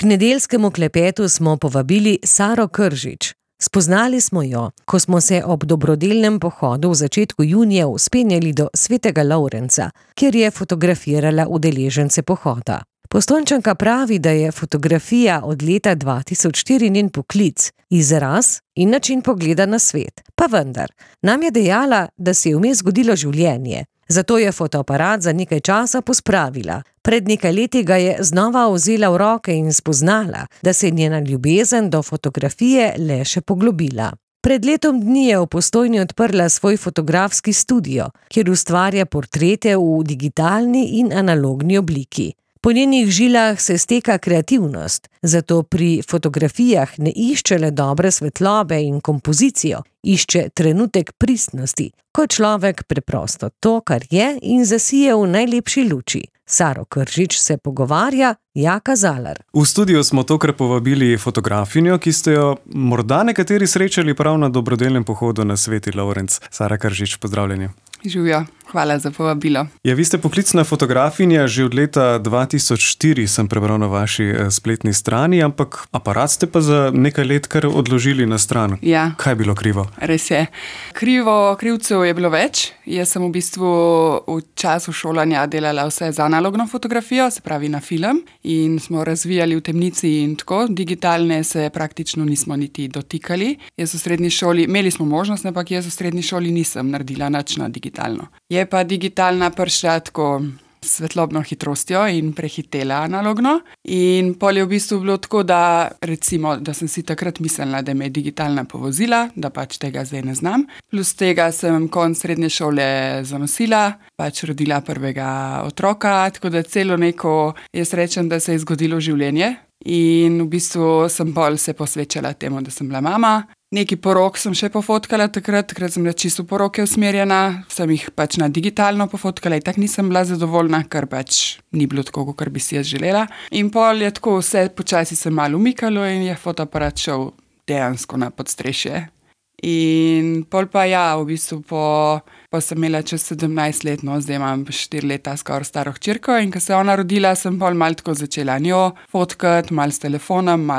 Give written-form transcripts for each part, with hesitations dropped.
nedeljskemu klepetu smo povabili Saro Kržič. Spoznali smo jo, ko smo se ob dobrodelnem pohodu v začetku junija vzpenjali do Svetega Lovrenca, kjer je fotografirala udeležence pohoda. Postojnčanka pravi, da je fotografija od leta 2004 njen poklic, izraz in način pogleda na svet. Pa vendar, nam je dejala, da se je vmes zgodilo življenje. Zato je fotoaparat za nekaj časa pospravila. Pred nekaj leti ga je znova vzela v roke in spoznala, da se je njena ljubezen do fotografije le še poglobila. Pred letom dni je v Postojni odprla svoj fotografski studio, kjer ustvarja portrete v digitalni in analogni obliki. Po njenih žilah se steka kreativnost, zato pri fotografijah ne išče le dobre svetlobe in kompozicijo, išče trenutek pristnosti, ko človek preprosto to, kar je, in zasije v najlepši luči. Saro Kržič se pogovarja Jaka Zalar. V studio smo tokrat povabili fotografinjo, ki ste jo morda nekateri srečali prav na dobrodelnem pohodu na Sveti Lovrenc. Sara Kržič, pozdravljeni. Živjo, hvala za povabilo. Ja, vi ste poklicna fotografinja, že od leta 2004 sem prebral na vaši spletni strani, ampak aparat ste pa za nekaj let kar odložili na stran. Ja. Kaj je bilo krivo? Res je. Krivcev je bilo več. Jaz sem v bistvu v času šolanja delala vse z analogno fotografijo, se pravi na film, in smo razvijali v temnici in tako. Digitalne se praktično nismo niti dotikali. Jaz v srednji šoli, imeli smo možnost, ampak jaz v srednji šoli nisem naredila nič na digitalno. Je pa digitalna prišla tako svetlobno hitrostjo in prehitela analogno. In pol je v bistvu bilo tako, da recimo, da sem si takrat mislila, da me je digitalna povozila, da pač tega zdaj ne znam. Plus tega sem konec srednje šole zanosila, pač rodila prvega otroka, tako da celo neko, jaz rečem, da se je zgodilo življenje. In v bistvu sem bolj se posvečala temu, da sem bila mama. Neki porok sem še pofotkala takrat sem bila čisto poroke usmerjena, sem jih pač na digitalno pofotkala in tako nisem bila zadovoljna, ker pač ni bilo tako, kot bi si jaz želela. In pol je tako vse počasi se malo umikalo in je fotoaparat šel dejansko na podstrešje. In pol pa ja, v bistvu pa sem imela čez 17 let, no, zdaj imam 4 leta skoraj staro hčerko in ko se je ona rodila, sem pol malo tako začela njo fotkati, malo s telefonom,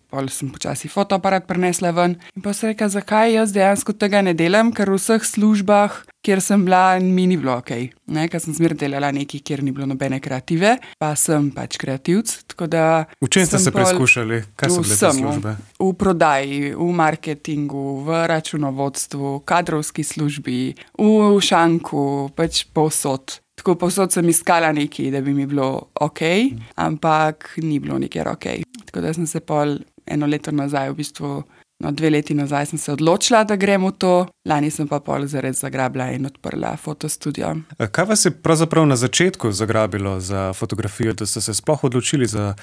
pol sem počasi fotoaparat prinesla ven. In pa sem rekla, zakaj jaz dejansko tega ne delam, ker v vseh službah, kjer sem bila, mi ni bilo okej. Ker sem zmeraj delala nekaj, kjer ni bilo nobene kreative, pa sem pač kreativc, tako da... V čem ste se preizkušali? Kaj so bile te službe? V prodaji, v marketingu, v računovodstvu, kadrovski službi, v šanku, pač povsod. Tako povsod sem iskala nekaj, da bi mi bilo okej, ampak ni bilo nikjer okej. Tako da sem se pol eno leto nazaj, v bistvu 2 leti nazaj sem se odločila, da grem v to. Lani sem pa pol zares zagrabila in odprla fotostudio. Kaj vas je pravzaprav na začetku zagrabilo za fotografijo, da ste se sploh odločili za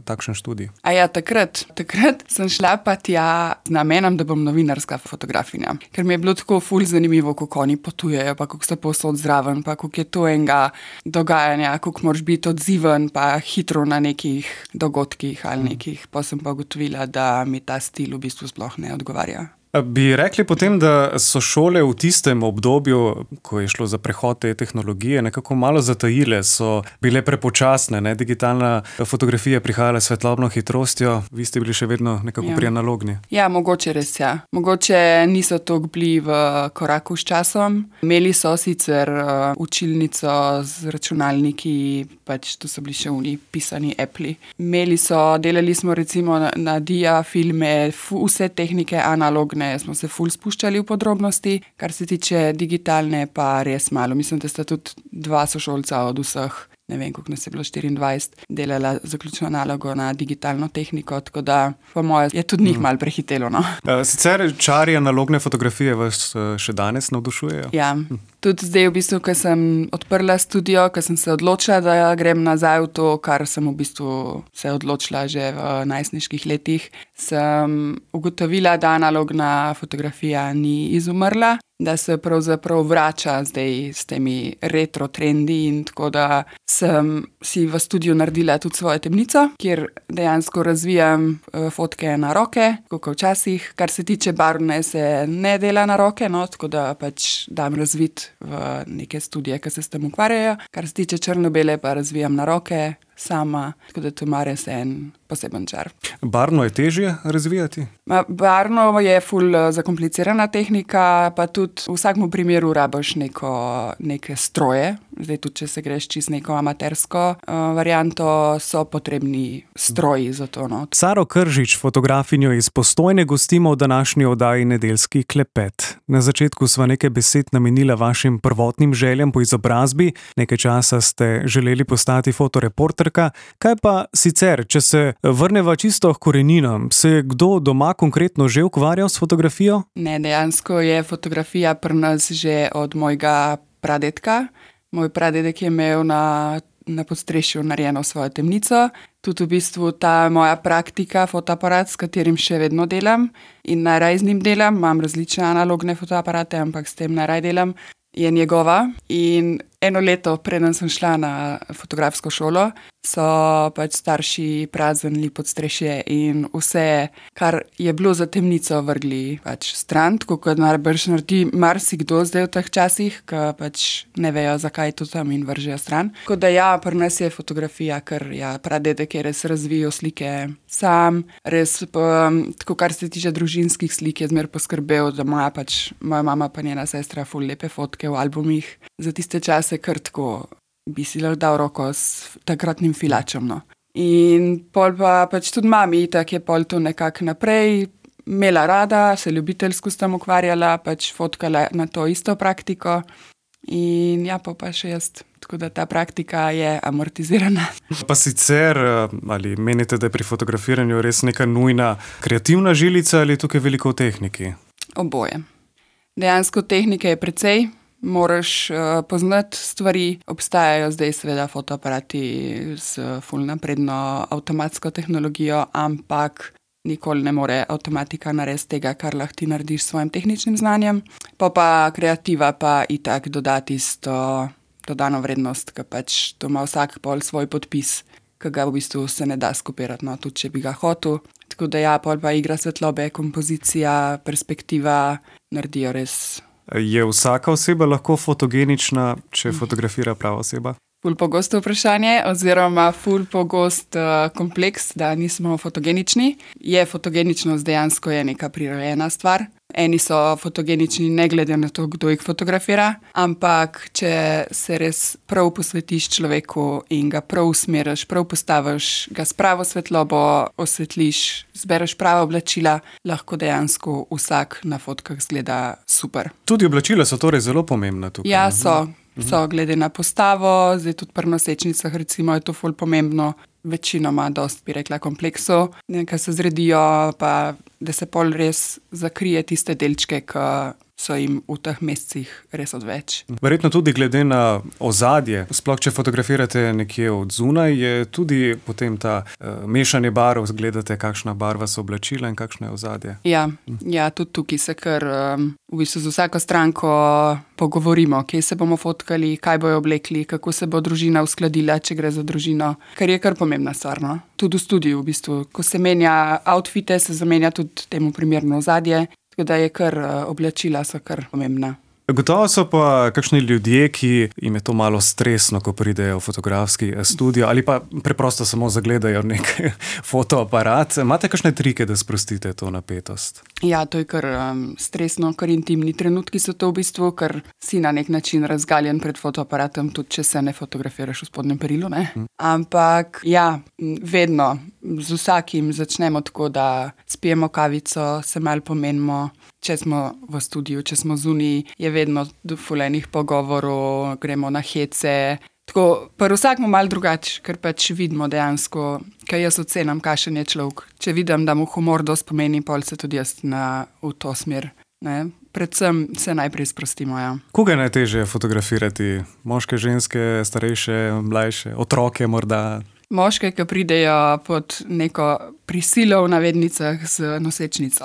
takšen študij? Takrat sem šla pa tja z namenom, da bom novinarska fotografinja. Ker mi je bilo tako ful zanimivo, kako oni potujejo, pa kako so povsod zraven, pa kako je to enega dogajanja, kako moraš biti odziven, pa hitro na nekih dogodkih ali nekih. Pa sem pa ugotovila, da mi ta stil v bistvu sploh ne odgovarja. Bi rekli potem, da so šole v tistem obdobju, ko je šlo za prehod te tehnologije, nekako malo zatajile, so bile prepočasne, ne? Digitalna fotografija prihajala s svetlobno hitrostjo, vi ste bili še vedno nekako pri analogni. Ja, mogoče res, ja. Mogoče niso toliko bili v koraku s časom. Imeli so sicer učilnico z računalniki, pač to so bili še pisani Appli. Delali smo recimo na dia filme, vse tehnike analogne, smo se ful spuščali v podrobnosti, kar se tiče digitalne pa res malo. Mislim, da sta tudi 2 sošolca od vseh, ne vem, koliko nas je bilo 24, delala zaključno nalogo na digitalno tehniko, tako da po moje je tudi njih malo prehitelo, no. Sicer čari analogne fotografije vas še danes navdušujejo? Ja, tudi zdaj v bistvu, ko sem odprla studio, ko sem se odločila, da grem nazaj v to, kar sem v bistvu se odločila že v najstniških letih, sem ugotovila, da analogna fotografija ni izumrla, da se pravzaprav vrača zdaj s temi retro trendi in tako da sem si v studiu naredila tudi svojo temnico, kjer dejansko razvijam fotke na roke, kot včasih. Kar se tiče barvne, se ne dela na roke, no, tako da pač dam razvit v neke studije, ki se s tem ukvarjajo. Kar se tiče črno-bele, pa razvijam na roke. sama, tako da to ima res en poseben čar. Barvno je težje razvijati? Barvno je ful zakomplicirana tehnika, pa tudi v vsakem primeru rabiš neke stroje. Zdaj tudi, če se greš čist neko amatersko varianto, so potrebni stroji za to. No. Saro Kržič, fotografinjo iz Postojne, gostimo v današnji oddaji Nedeljski klepet. Na začetku sva nekaj besed namenila vašim prvotnim željam po izobrazbi. Nekaj časa ste želeli postati fotoreporterka. Kaj pa sicer, če se vrneva čisto k koreninam, se je kdo doma konkretno že ukvarjal s fotografijo? Ne, dejansko je fotografija pri nas že od mojega pradetka. Moj pradedek je imel na podstrešju narejeno svojo temnico. Tudi v bistvu ta moja praktika, fotoaparat, s katerim še vedno delam in najraje z njim delam, imam različne analogne fotoaparate, ampak s tem najraje delam, je njegova. In eno leto, preden sem šla na fotografsko šolo, so pač starši praznili podstrešje in vse, kar je bilo za temnico, vrgli pač stran, tako kot najbrž naredi marsikdo zdaj v teh časih, ki pač ne vejo, zakaj je to tam in vržejo stran. Tako da ja, pri nas je fotografija, ker ja, pradedek je res razvijal slike sam, res tako, kar se tiče družinskih slik, je zmer poskrbel, da moja mama pa njena sestra ful lepe fotke v albumih za tiste čase, kar tako bi si lahko dal roko s takratnim filačem. No. In pol pa pač tudi mami, tako je pol to nekako naprej imela rada, se ljubiteljsko s tem ukvarjala, pač fotkala na to isto praktiko in ja, pa še jaz. Tako da ta praktika je amortizirana. Pa sicer, ali menite, da je pri fotografiranju res neka nujna kreativna žilica ali tukaj veliko v tehniki? Oboje. Dejansko tehnike je precej. Moraš poznati stvari. Obstajajo zdaj seveda fotoaparati s ful napredno avtomatsko tehnologijo, ampak nikoli ne more avtomatika narediti tega, kar lahko ti narediš s svojim tehničnim znanjem. Pa kreativa pa itak dodati isto dodano vrednost, ki pač to ima vsak pol svoj podpis, ki ga v bistvu se ne da skopirati, no, tudi če bi ga hotel. Tako da ja, pol pa igra svetlobe, kompozicija, perspektiva naredijo res. Je vsaka oseba lahko fotogenična, če fotografira prava oseba? Ful pogosto vprašanje, oziroma ful pogost kompleks, da nismo fotogenični. Fotogeničnost dejansko je neka prirojena stvar. Eni so fotogenični ne glede na to, kdo jih fotografira, ampak če se res prav posvetiš človeku in ga prav usmeriš, prav postaviš, ga s pravo svetlobo osvetliš, zbereš prava oblačila, lahko dejansko vsak na fotkah zgleda super. Tudi oblačila so torej zelo pomembna tukaj. Ja, so glede na postavo, zdaj tudi pri nosečnicah recimo je to ful pomembno, večinoma dost bi rekla kompleksov, nekaj se zredijo, pa da se pol res zakrije tiste delčke, ki so jim v teh mesecih res odveč. Verjetno tudi glede na ozadje, sploh če fotografirate nekje od zunaj, je tudi potem ta mešanje barv, gledate, kakšna barva so oblačila in kakšno je ozadje. Ja, tudi tukaj se kar v bistvu z vsako stranko pogovorimo, kje se bomo fotkali, kaj bojo oblekli, kako se bo družina uskladila, če gre za družino, kar je kar pomembna stvar, no? Tudi v studiu v bistvu. Ko se menja outfite, se zamenja tudi temu primerno ozadje. Tako da je kar oblačila so kar pomembna. Gotovo so pa kakšni ljudje, ki jim je to malo stresno, ko pridejo v fotografski studio ali pa preprosto samo zagledajo nek fotoaparat. Imate kakšne trike, da sprostite to napetost? Ja, to je kar stresno, kar intimni trenutki so to v bistvu, ker si na nek način razgaljen pred fotoaparatom, tudi če se ne fotografiraš v spodnjem perilu, ne? Ampak ja, vedno z vsakim začnemo tako, da spijemo kavico, se malo pomenimo. Če smo v studiu, če smo zunaj, je vedno ful enih pogovorov, gremo na hece. Tako, pri vsakmu malo drugače, ker pač vidimo dejansko, kaj jaz ocenam, kakšen je človek. Če vidim, da mu humor dosti pomeni, pol se tudi jaz v to smer. Ne? Predvsem se najprej sprostimo. Ja. Koga je najtežje fotografirati? Moške, ženske, starejše, mlajše, otroke morda? Moške, ki pridejo pod neko prisilo v navednicah z nosečnico.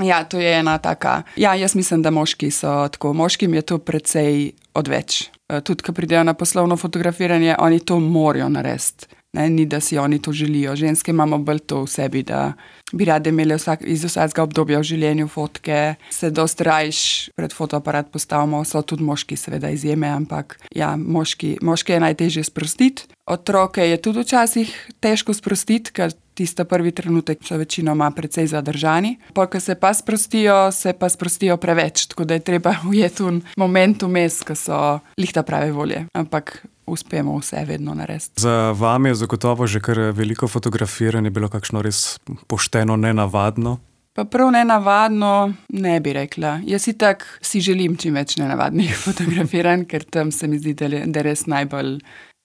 Ja, to je ena taka. Ja, jaz mislim, da moški so tako. Moškim je to precej odveč. Tudi, ko pridejo na poslovno fotografiranje, oni to morajo narediti. Ne, ni, da si oni to želijo. Ženske imamo bolj to v sebi, da bi rade imeli iz vsakega obdobja v življenju fotke, se dosti rajš pred fotoaparat postavimo, so tudi moški seveda izjeme, ampak ja, moške je najtežje sprostiti. Otroke je tudi včasih težko sprostiti, ker tista prvi trenutek so večinoma precej zadržani. Pa, ko se pa sprostijo preveč, tako da je treba ujeti moment vmes, ko so lihta prave volje. Ampak uspemo vse vedno narediti. Za vami je zagotovo že kar veliko fotografiranje bilo kakšno res pošteno nenavadno? Pa prav nenavadno ne bi rekla. Jaz itak si želim čim več nenavadnih fotografiranj, ker tam se mi zdi, da res najbolj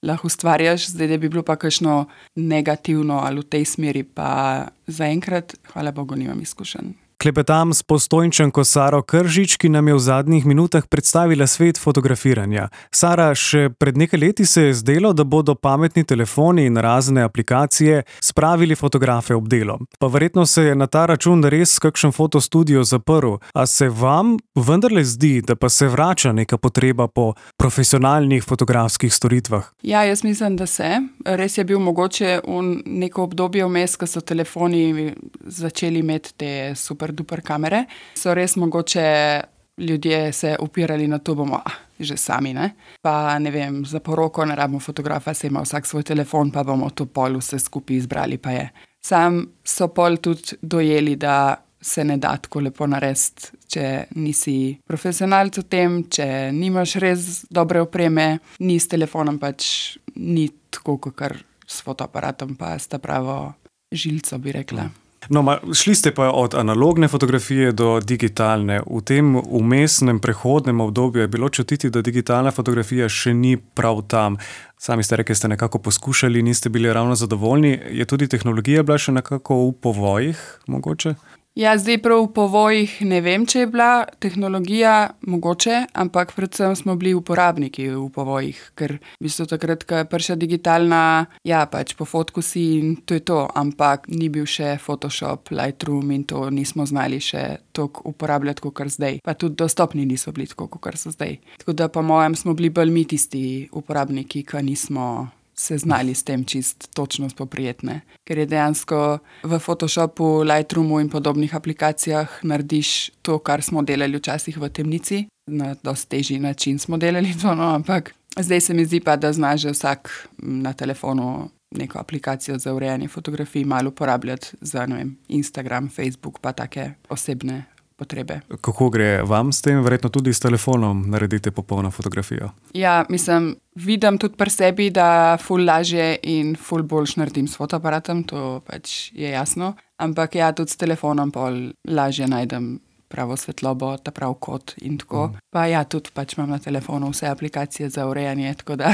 lahko ustvarjaš. Zdaj, da bi bilo pa kakšno negativno ali v tej smeri, pa zaenkrat, hvala Bogu, nimam izkušenj. Klepetam s Postojnčanko Saro Kržič, ki nam je v zadnjih minutah predstavila svet fotografiranja. Sara, še pred nekaj leti se je zdelo, da bodo pametni telefoni in razne aplikacije spravili fotografe ob delo. Pa verjetno se je na ta račun res kakšen fotostudio zaprl. A se vam vendarle zdi, da pa se vrača neka potreba po profesionalnih fotografskih storitvah? Ja, jaz mislim, da se. Res je bil mogoče neko obdobje vmes, ko so telefoni začeli imeti te super kamere, so res mogoče ljudje se upirali na to, bomo že sami, ne? Pa ne vem, za poroko ne rabimo fotografa, se ima vsak svoj telefon, pa bomo to pol vse skupaj izbrali, pa je. Sam so pol tudi dojeli, da se ne da tako lepo narediti, če nisi profesionalc v tem, če nimaš res dobre opreme, ni s telefonom pač ni tako, kakor s fotoaparatom, pa s ta pravo žilco, bi rekla. No, šli ste pa od analogne fotografije do digitalne. V tem vmesnem prehodnem obdobju je bilo čutiti, da digitalna fotografija še ni prav tam. Sami ste rekli, ste nekako poskušali, niste bili ravno zadovoljni. Je tudi tehnologija bila še nekako v povojih, mogoče? Ja, zdaj prav v povojih ne vem, če je bila tehnologija mogoče, ampak predvsem smo bili uporabniki v povojih, ker v bistvu takrat, ko je prišla digitalna, ja, pač po fotku si in to je to, ampak ni bil še Photoshop, Lightroom in to nismo znali še toliko uporabljati, kot zdaj. Pa tudi dostopni niso bili tako, kot so zdaj. Tako da po mojem smo bili bolj mi tisti uporabniki, ki nismo se znali s tem čist točno spoprijetne. Ker je dejansko v Photoshopu, Lightroomu in podobnih aplikacijah narediš to, kar smo delali včasih v temnici. Na dosti težji način smo delali to, no, ampak zdaj se mi zdi pa, da zna že vsak na telefonu neko aplikacijo za urejanje fotografij malo uporabljati za, ne vem, Instagram, Facebook, pa take osebne potrebe. Kako gre vam s tem? Verjetno tudi s telefonom naredite popolno fotografijo? Ja, mislim, vidim tudi pri sebi, da ful lažje in ful boljš naredim s fotoaparatom, to pač je jasno. Ampak ja, tudi s telefonom pol lažje najdem pravo svetlobo, ta prav kot in tako. Pa ja, tudi pač imam na telefonu vse aplikacije za urejanje, tako da.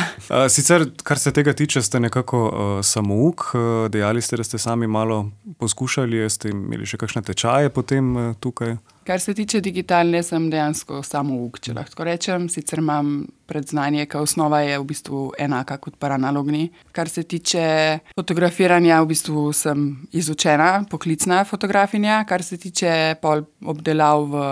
Sicer, kar se tega tiče, ste nekako samouk. Dejali ste, da ste sami malo poskušali, ste imeli še kakšne tečaje potem tukaj? Kar se tiče digitalne, sem dejansko samouk, če lahko rečem. Sicer imam predznanje, ker osnova je v bistvu enaka kot pa analogni. Kar se tiče fotografiranja, v bistvu sem izučena, poklicna fotografinja. Kar se tiče pol obdelav v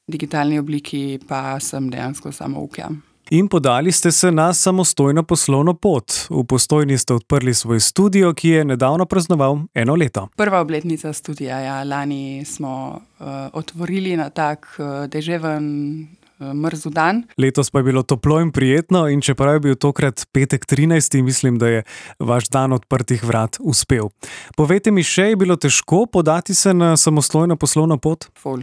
digitalni obliki, pa sem dejansko samouk, ja. In podali ste se na samostojno poslovno pot. V Postojni ste odprli svoj studio, ki je nedavno praznoval 1 leto. Prva obletnica studia, ja. Lani smo otvorili na tak deževen mrzu dan. Letos pa je bilo toplo in prijetno in čeprav je bil tokrat petek 13. mislim, da je vaš dan odprtih vrat uspel. Povejte mi še, je bilo težko podati se na samostojno poslovno pot? Ful.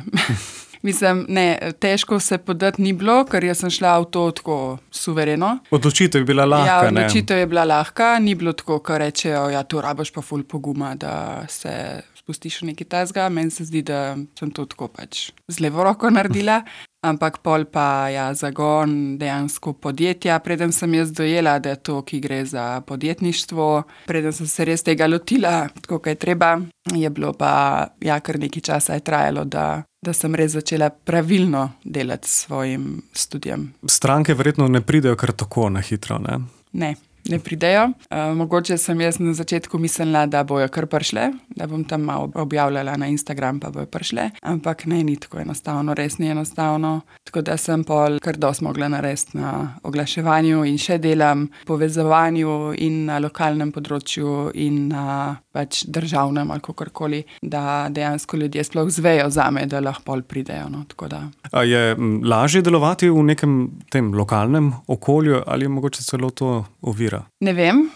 Mislim, ne, težko se podati ni bilo, ker jaz sem šla v to tako suvereno. Odločitev je bila lahka, ne? Ja, odločitev je bila lahka, ni bilo tako, kar rečejo, ja, tu rabiš pa ful poguma, da se spustiš v nekaj tazga. Meni se zdi, da sem to tako pač z levo roko naredila, ampak pol pa ja, zagon dejansko podjetja. Preden sem jaz dojela, da je to, ki gre za podjetništvo, preden sem se res tega lotila, tako kaj treba, je bilo pa, ja, kar nekaj časa je trajalo, da sem res začela pravilno delati s svojim študijem. Stranke verjetno ne pridejo kar tako na hitro, ne? Ne. ne pridejo. Mogoče sem jaz na začetku mislila, da bojo kar prišle, da bom tam malo objavljala na Instagram, pa bojo prišle, ampak ne, ni tako enostavno, res ni enostavno. Tako da sem pol kar dosti mogla narediti na oglaševanju in še delam povezovanju in na lokalnem področju in na pač državnem ali kakorkoli, da dejansko ljudje sploh zvejo zame, da lahko pol pridejo. No, tako da. A je lažje delovati v nekem tem lokalnem okolju ali je mogoče celo to ovira? Ne vem.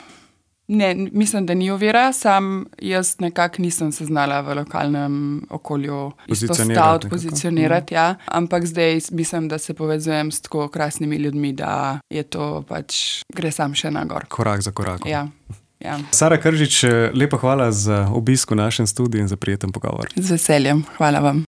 Ne, mislim, da ni ovira, sam jaz nekako nisem se znala v lokalnem okolju pozicionirati, ja. Ampak zdaj mislim, da se povezujem s tako krasnimi ljudmi, da je to pač, gre sam še na gor. Korak za korakom. Ja. Ja. Sara Kržič, lepa hvala za obisk v našem studiu in za prijeten pogovor. Z veseljem, hvala vam.